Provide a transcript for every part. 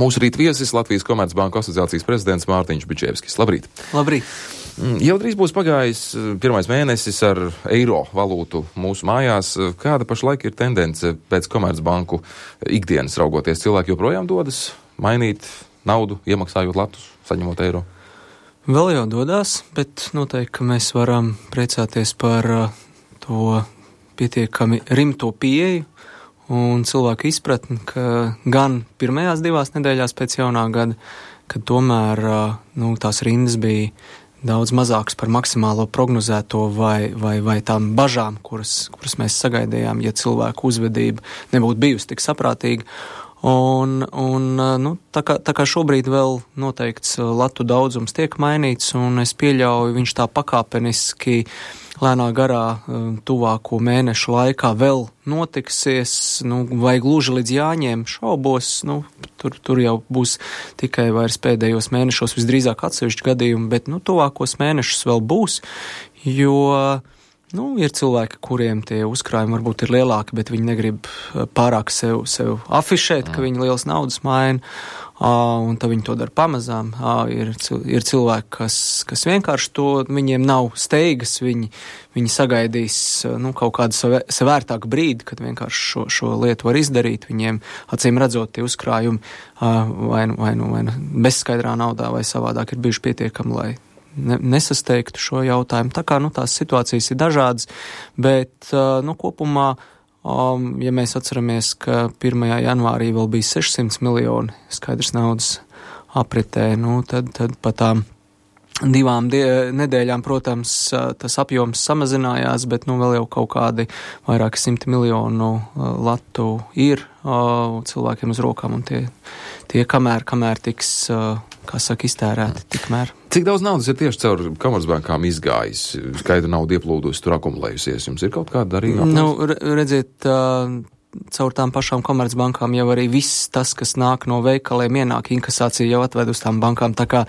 Mūsu rīt viesis Latvijas Komercbanku asociācijas prezidents Mārtiņš Bičevskis. Labrīt! Labrīt! Jau drīz būs pagājis pirmais mēnesis ar eiro valūtu mūsu mājās. Kāda pašlaik ir tendence pēc Komercbanku ikdienas raugoties? Cilvēki joprojām dodas mainīt naudu, iemaksājot latus, saņemot eiro? Vēl jau dodas, bet noteikti, ka mēs varam priecāties par to pietiekami rimto pieeju un cilvēku izpratni, ka gan pirmajās 2 nedēļās pēc jaunā gada, kad tomēr tās rindas bija daudz mazākas par maksimālo prognozēto vai tām bažām, kuras mēs sagaidījām, ja cilvēku uzvedība nebūtu bijusi tik saprātīga. Tā kā šobrīd vēl noteikts latu daudzums tiek mainīts, un es pieļauju, viņš tā pakāpeniski lēnā garā tuvāko mēnešu laikā vēl notiksies, vai gluži līdz jāņem šaubos, tur jau būs tikai vairs pēdējos mēnešos visdrīzāk atsevišķi gadījumi, bet tuvākos mēnešus vēl būs, jo ir cilvēki, kuriem tie uzkrājumi varbūt ir lielāki, bet viņi negrib pārāk sev afišēt, ka viņi liels naudas maina, un tad viņi to dara pamazām. Ir cilvēki, kas vienkārši to, viņiem nav steigas, viņi sagaidīs kaut kādu savērtāku brīdi, kad vienkārši šo lietu var izdarīt. Viņiem, acīm redzot, tie uzkrājumi vai bezskaidrā naudā vai savādāk ir bijuši pietiekami, lai nesasteigtu šo jautājumu. Tā kā tās situācijas ir dažādas, bet kopumā, ja mēs atceramies, ka 1. janvārī vēl bija 600 miljoni skaidrs naudas apritē, tad pa tām 2 nedēļām, protams, tas apjoms samazinājās, bet vēl jau kaut kādi vairāki 100 miljonu latu ir cilvēkiem uz rokām, un tie kamēr tiks, iztērēti, tikmēr. Cik daudz naudas ir tieši caur Komercbankām izgājis? Skaidra nauda ieplūdusi, tur akumulējusies. Jums ir kaut kāda arī? Redziet, caur tām pašām Komercbankām jau arī viss tas, kas nāk no veikaliem, ienāk inkasācija jau atved uz tām bankām. Tā kā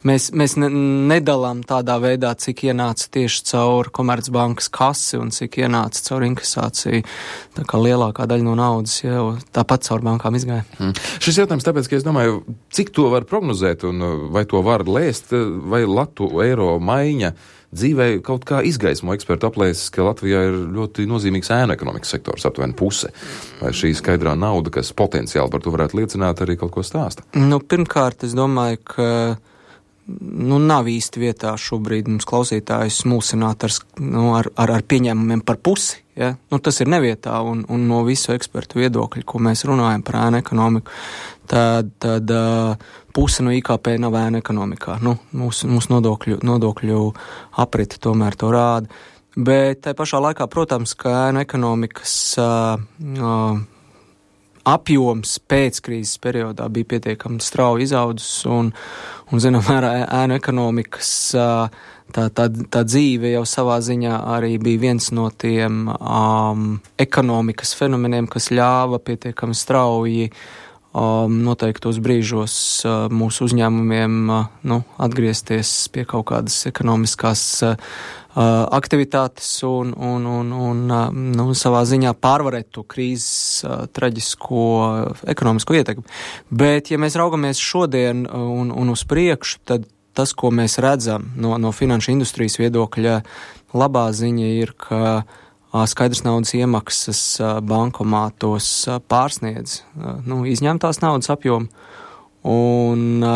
mēs nedalām tādā veidā, cik ienāca tieši caur Komercbankas kasi un cik ienāca caur inkasāciju. Tā kā lielākā daļa no naudas jau tāpat caur bankām izgāja. Šis jautājums tāpēc, ka es domāju, cik to var prognozēt un vai to var lēst, vai latu eiro maiņa dzīvē kaut kā izgaismo ekspertu aplēses, ka Latvijā ir ļoti nozīmīgs ēnu ekonomikas sektors, aptuveni puse. Vai šī skaidrā nauda, kas potenciāli par to varētu liecināt, arī kaut ko stāsta? Pirmkārt, es domāju, ka nav īsti vietā šobrīd mums klausītājus mulsināt ar pieņēmumiem par pusi. Ja? Tas ir nevietā, un no visu ekspertu viedokļu, ko mēs runājam par ēnu ekonomiku, tad puse no IKP nav ēnu ekonomikā. Mūsu nodokļu apriti tomēr to rāda. Bet tai pašā laikā, protams, ka ēnu ekonomikas apjoms pēc krīzes periodā bija pietiekami strauji izaudzis, un zinām, ēnu ekonomikas tā dzīve jau savā ziņā arī bija viens no tiem ekonomikas fenomeniem, kas ļāva pietiekami strauji noteiktos brīžos mūsu uzņēmumiem atgriezties pie kaut kādas ekonomiskās aktivitātes un savā ziņā pārvarēt to krīzes traģisko ekonomisko ietekmi. Bet, ja mēs raugamies šodien un uz priekšu, tad tas, ko mēs redzam no finanšu industrijas viedokļa, labā ziņa ir, ka skaidrs naudas iemaksas bankomātos pārsniedz izņemtās naudas apjomu, un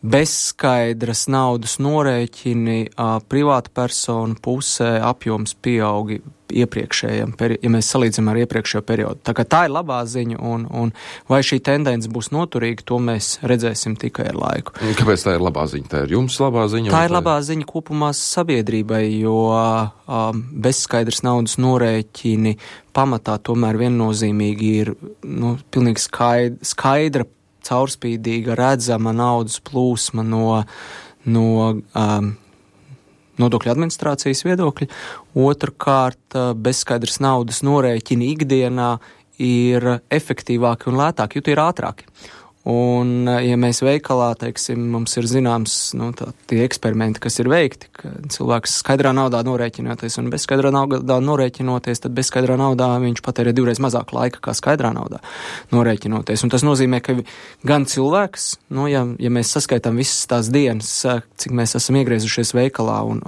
bezskaidras naudas norēķini privāta persona pusē apjoms pieaugi iepriekšējiem, ja mēs salīdzinām ar iepriekšējo periodu. Tā kā tā ir labā ziņa, un vai šī tendence būs noturīga, to mēs redzēsim tikai ar laiku. Kāpēc tā ir labā ziņa? Tā ir jums labā ziņa? Tā ir labā ziņa kopumā sabiedrībai, jo bezskaidras naudas norēķini pamatā tomēr viennozīmīgi ir pilnīgi skaidra, caurspīdīga, redzama naudas plūsma no nodokļu administrācijas viedokļa. Otrkārt, bezskaidras naudas norēķini ikdienā ir efektīvāki un lētāki, jo tie ir ātrāki. Un, ja mēs veikalā, teiksim, mums ir zināms, tie eksperimenti, kas ir veikti, ka cilvēks skaidrā naudā norēķinoties un bez skaidrā naudā norēķinoties, tad bez skaidrā naudā viņš patērē 2 reizes mazāk laika kā skaidrā naudā norēķinoties. Un tas nozīmē, ka gan cilvēks, ja mēs saskaitām visas tās dienas, cik mēs esam iegriezušies veikalā un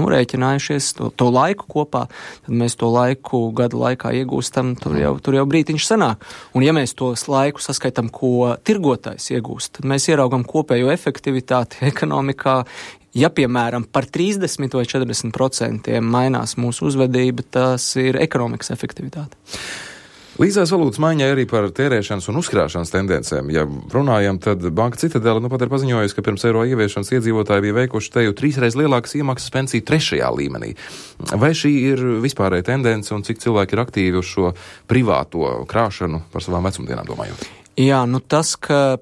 norēķinājušies to laiku kopā, tad mēs to laiku gadu laikā iegūstam, tur jau brītiņš sanāk. Un ja mēs tos laiku saskaitam, ko tirgotājs iegūst, tad mēs ieraugam kopējo efektivitāti ekonomikā. Ja, piemēram, par 30 vai 40% mainās mūsu uzvedība, tas ir ekonomikas efektivitāte. Līdzās valūtas maiņai arī par tērēšanas un uzkrāšanas tendencēm. Ja runājam, tad Banka Citadele pat ir paziņojusi, ka pirms eiro ieviešanas iedzīvotāji bija veikuši teju 3 reizes lielākas iemaksas pensiju 3. līmenī. Vai šī ir vispārēja tendence un cik cilvēki ir aktīvi uz šo privāto krāšanu par savām vecumdienām domājot? Jā, tas, ka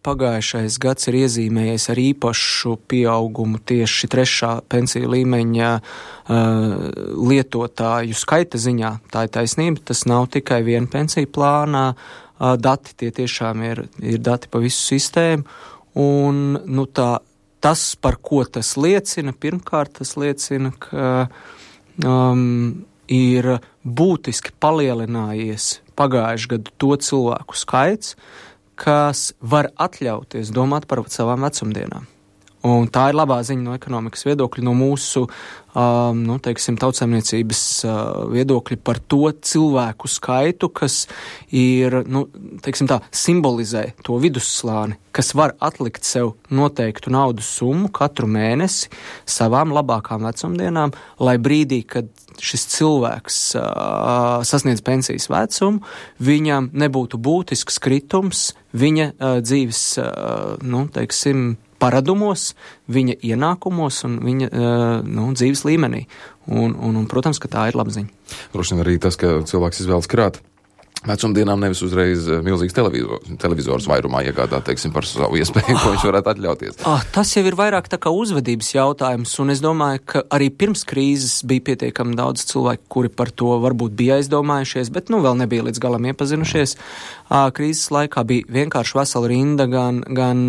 pagājušais gads ir iezīmējies ar īpašu pieaugumu tieši 3. pensiju līmeņa lietotāju skaita ziņā, tā ir taisnība, tas nav tikai viena pensiju plānā dati, tie tiešām ir dati pa visu sistēmu, un tas, par ko tas liecina, pirmkārt tas liecina, ka ir būtiski palielinājies pagājušajā gadu to cilvēku skaits, kas var atļauties domāt par savām vecumdienām. Un tā ir labā ziņa no ekonomikas viedokļa, no mūsu, tautsaimniecības viedokļa par to cilvēku skaitu, kas ir, simbolizē to vidusslāni, kas var atlikt sev noteiktu naudas summu katru mēnesi savām labākām vecumdienām, lai brīdī, kad šis cilvēks sasniedz pensijas vecumu, viņam nebūtu būtisks kritums viņa dzīves, paradumos, viņa ienākumos un viņa dzīves līmenī. Un, protams, ka tā ir laba ziņa. Droši vien arī tas, ka cilvēks izvēlas krāt vecumdienām nevis uzreiz milzīgs televizors vairumā iegādāt, par savu iespēju, ko viņš varētu atļauties. Tas jau ir vairāk tā kā uzvedības jautājums, un es domāju, ka arī pirms krīzes bija pietiekami daudz cilvēku, kuri par to varbūt bija aizdomājušies, bet vēl nebija līdz galam iepazinušies. Krīzes laikā bija vienkārši vesela rinda gan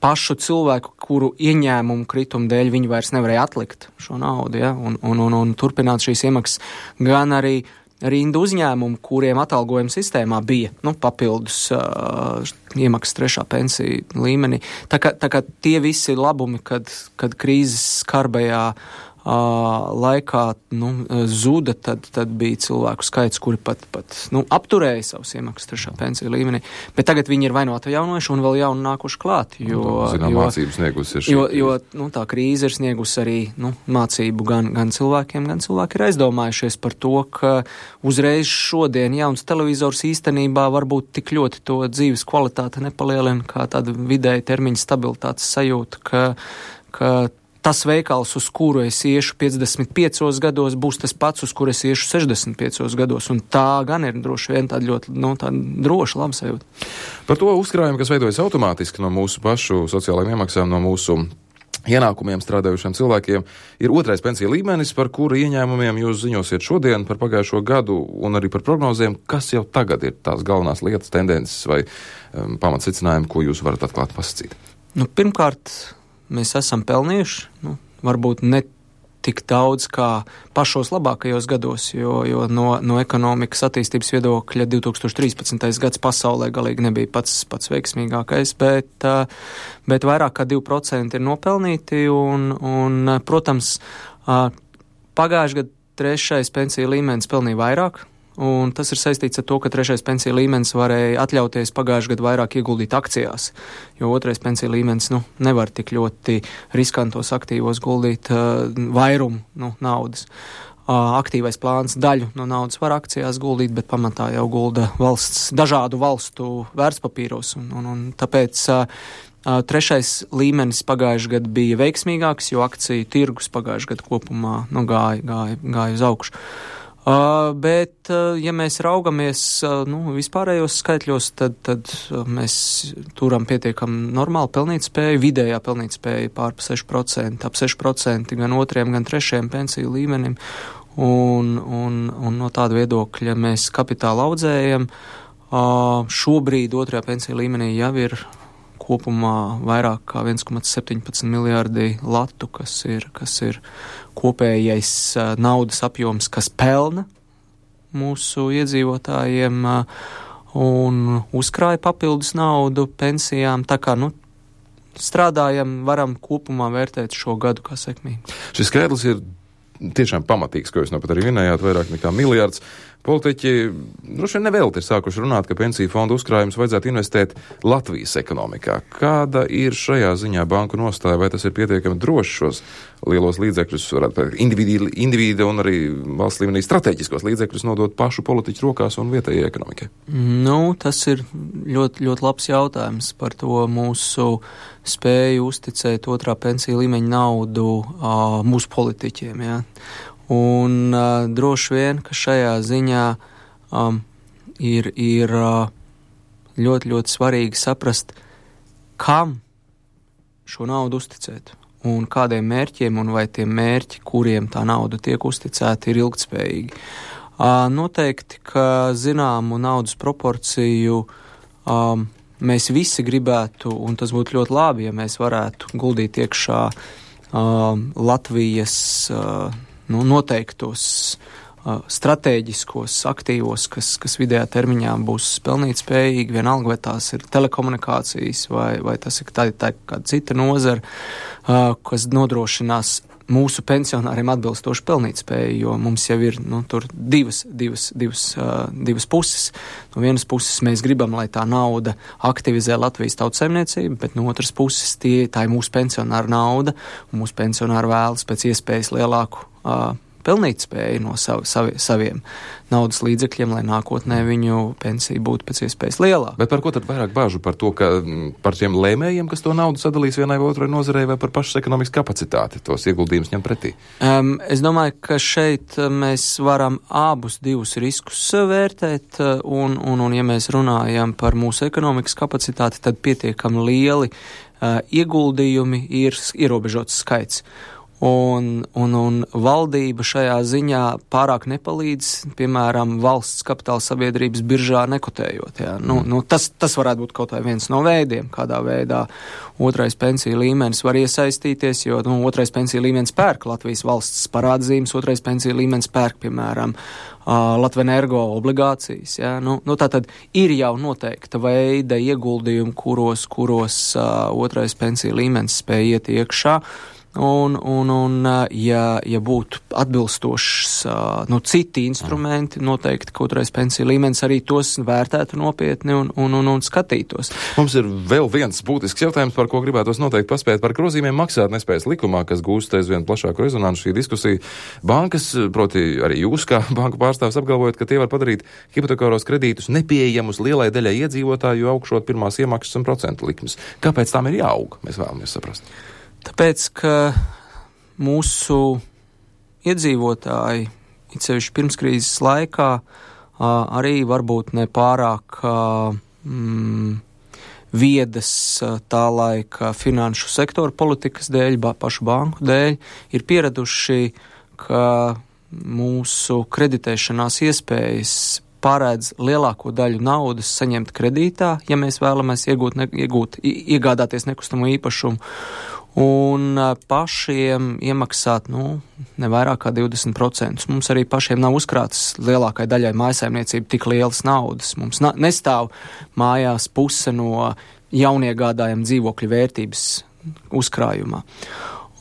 pašu cilvēku, kuru ieņēmumu kritumu dēļ viņi vairs nevarēja atlikt šo naudu, ja, un turpināt šīs iemaksas, gan arī rindu uzņēmumu, kuriem atalgojuma sistēmā bija papildus iemaksas 3. pensiju līmenī. Tā kā tie visi labumi, kad krīzes skarbajā laikā zuda, tad bija cilvēku skaits, kuri pat apturēja savus iemaksas 3. pensiju līmenī. Bet tagad viņi ir vai no atjaunojuši un vēl jauni nākuši klāt. Mācību sniegusi ir jo tā krīze ir sniegusi arī mācību gan cilvēkiem, gan cilvēki ir aizdomājušies par to, ka uzreiz šodien jauns televizors īstenībā varbūt tik ļoti to dzīves kvalitāti nepalielina, kā tāda vidēja termiņa stabilitātes sajūta, ka tas veikals, uz kuru es iešu 55 gados, būs tas pats, uz kuru es iešu 65 gados. Un tā gan ir droši vien tāda ļoti droša, laba sajūta. Par to uzkrājumu, kas veidojas automātiski no mūsu pašu sociālajiem iemaksām, no mūsu ienākumiem strādājušiem cilvēkiem, ir 2. pensiju līmenis, par kuru ieņēmumiem jūs ziņosiet šodien par pagājušo gadu un arī par prognozēm, kas jau tagad ir tās galvenās lietas, tendences vai pamatsecinājumi, ko jūs varat atklāt pasakīt. Pirmkārt, mēs esam pelnījuši, varbūt ne tik daudz kā pašos labākajos gados, jo no ekonomikas attīstības viedokļa 2013. gads pasaulē galīgi nebija pats veiksmīgākais, bet vairāk kā 2% ir nopelnīti un protams, pagājušajā gadā 3. pensiju līmenis pelnīja vairāk. Un tas ir saistīts ar to, ka 3. pensiju līmenis varēja atļauties pagājušajā gadā vairāk ieguldīt akcijās, jo 2. pensiju līmenis nevar tik ļoti riskantos aktīvos guldīt vairumu naudas. Aktīvais plāns daļu no naudas var akcijās guldīt, bet pamatā jau gulda dažādu valstu vērtspapīros, un tāpēc 3. līmenis pagājušajā gadā bija veiksmīgāks, jo akciju tirgus pagājušajā gadā kopumā gāja uz augšu. Bet, ja mēs raugamies vispārējos skaitļos, tad mēs turam pietiekam normāli pelnītspēju, vidējā pelnītspēja pār 6%, ap 6% gan 2. gan 3. pensiju līmenim, un no tāda viedokļa mēs kapitāla audzējam, Šobrīd otrajā pensiju līmenī jau ir kopumā vairāk kā 1,17 miljārdi latu, kas ir kopējais naudas apjoms, kas pelna mūsu iedzīvotājiem un uzkrāja papildus naudu pensijām. Tā kā, strādājam, varam kopumā vērtēt šo gadu kā sekmīgi. Šis skaitlis ir tiešām pamatīgs, ko jūs pat arī minējāt, vairāk nekā miljards. Politiķi droši vien nevēlti ir sākuši runāt, ka pensiju fondu uzkrājumus vajadzētu investēt Latvijas ekonomikā. Kāda ir šajā ziņā banku nostāja, vai tas ir pietiekami droši šos lielos līdzekļus, varētu individu un arī valsts līmenī strateģiskos līdzekļus nodot pašu politiķu rokās un vietējai ekonomikai? Tas ir ļoti, ļoti labs jautājums par to mūsu spēju uzticēt otrā pensiju līmeņa naudu mūsu politiķiem, jā. Un droši vien, ka šajā ziņā ir ļoti, ļoti svarīgi saprast, kam šo naudu uzticēt un kādiem mērķiem, un vai tie mērķi, kuriem tā nauda tiek uzticēta, ir ilgtspējīgi. Noteikti, ka zināmu naudas proporciju mēs visi gribētu, un tas būtu ļoti labi, ja mēs varētu guldīt iekšā Latvijas noteiktos stratēģiskos aktīvos, kas vidējā termiņā būs pelnīt spējīgi, vienalga, vai tās ir telekomunikācijas, vai tas ir tā kāda cita nozara, kas nodrošinās mūsu pensionāriem atbilstoši pelnīt spēju, jo mums jau ir tur divas puses. No vienas puses mēs gribam, lai tā nauda aktivizē Latvijas tautsaimniecību, bet no otras puses tā ir mūsu pensionāra nauda, un mūsu pensionāri vēlas pēc iespējas lielāku pelnīt spēju no saviem naudas līdzekļiem, lai nākotnē viņu pensija būtu pēc iespējas lielāka. Bet par ko tad vairāk bāžu? Par to, ka par tiem lēmējiem, kas to naudu sadalīs vienai vai otrai nozarei, vai par pašas ekonomikas kapacitāti tos ieguldījumus ņem pretī? Es domāju, ka šeit mēs varam abus divus riskus vērtēt, un ja mēs runājam par mūsu ekonomikas kapacitāti, tad pietiekami lieli ieguldījumi ir ierobežots skaits. Un valdība šajā ziņā pārāk nepalīdz, piemēram, valsts kapitāla sabiedrības biržā nekotējot. Jā. Tas varētu būt kaut vai viens no veidiem, kādā veidā otrais pensiju līmenis var iesaistīties, jo otrais pensiju līmenis pērk Latvijas valsts parādzīmes, otrais pensiju līmenis pērk, piemēram, Latvenergo obligācijas. Jā. Tātad ir jau noteikta veida ieguldījumi, kuros otrais pensiju līmenis spēj iet iekšā. Ja būtu atbilstošs citi instrumenti, noteikti otrais pensiju līmenis arī tos vērtētu nopietni un skatītos. Mums ir vēl viens būtisks jautājums, par ko gribētos noteikti paspēt, par grozījumiem maksātnespējas likumā, kas gūst aizvien plašāku rezonansu šī diskusija. Bankas, proti arī jūs kā banku pārstāvis apgalvojat, ka tie var padarīt hipotekāros kredītus nepieejamus lielai daļai iedzīvotāju, augšot pirmās iemaksas un procentu likmes. Kāpēc tām ir jāaug? Mēs vēlamies saprast. Tāpēc, ka mūsu iedzīvotāji, it sevišķi pirmskrīzes laikā, arī varbūt ne pārāk viedas tā laika finanšu sektora politikas dēļ, pašu banku dēļ, ir pieraduši, ka mūsu kreditēšanās iespējas paredz lielāko daļu naudas saņemt kredītā, ja mēs vēlamies iegādāties nekustamo īpašumu, un pašiem iemaksāt, ne vairāk kā 20%. Mums arī pašiem nav uzkrātas lielākai daļai mājsaimniecību tik lielas naudas. Mums nestāv mājās puse no jauniegādājuma dzīvokļu vērtības uzkrājumā.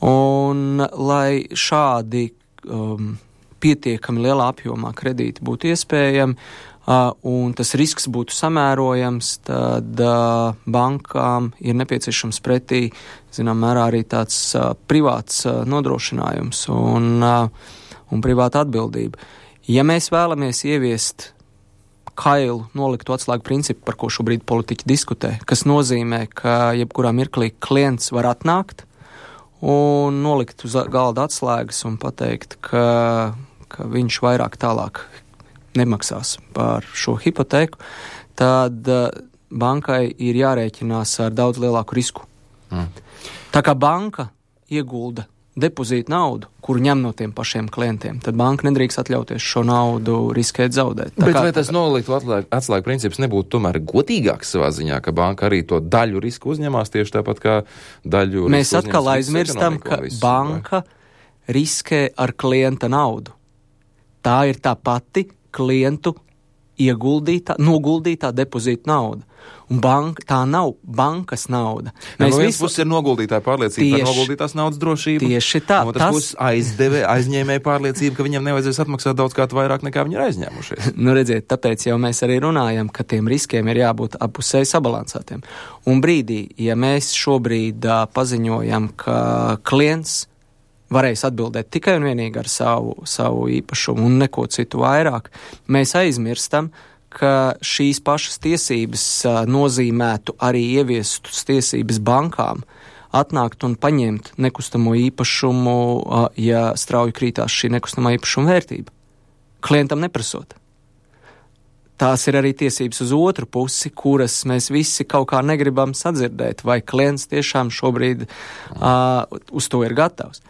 Un lai šādi pietiekami lielā apjomā kredīti būtu iespējami, un tas risks būtu samērojams, tad bankām ir nepieciešams pretī, zinām mērā, arī tāds privāts nodrošinājums un privāta atbildība. Ja mēs vēlamies ieviest kailu noliktu atslēgu principu, par ko šobrīd politiķi diskutē, kas nozīmē, ka jebkurā mirklī klients var atnākt un nolikt uz galda atslēgas un pateikt, ka viņš vairāk tālāk nemaksās par šo hipotēku, tad bankai ir jārēķinās ar daudz lielāku risku. Tā kā banka iegulda depozītu naudu, kuru ņem no tiem pašiem klientiem, tad banka nedrīkst atļauties šo naudu riskēt zaudēt. Bet vai tas noliktu atslēgu princips nebūtu tomēr godīgāks savā ziņā, ka banka arī to daļu risku uzņemās tieši tāpat kā daļu risku? Mēs atkal aizmirstam, ka banka riskē ar klienta naudu. Tā ir tā pati klientu noguldītā depozīta nauda. Un tā nav bankas nauda. No vienas puses ir noguldītāja pārliecība par noguldītās naudas drošību. Tieši tā. No otras puses aizņēmēja pārliecība, ka viņam nevajadzēs atmaksāt daudz kā vairāk nekā viņi ir aizņēmušies. Redziet, tāpēc jau mēs arī runājam, ka tiem riskiem ir jābūt appusēji sabalansētiem. Un brīdī, ja mēs šobrīd paziņojam, ka klients varēs atbildēt tikai un vienīgi ar savu īpašumu un neko citu vairāk, mēs aizmirstam, ka šīs pašas tiesības nozīmētu arī ieviestus tiesības bankām atnākt un paņemt nekustamo īpašumu, ja strauji krītās šī nekustamā īpašuma vērtība. Klientam neprasot. Tās ir arī tiesības uz otru pusi, kuras mēs visi kaut kā negribam sadzirdēt, vai klients tiešām šobrīd uz to ir gatavs.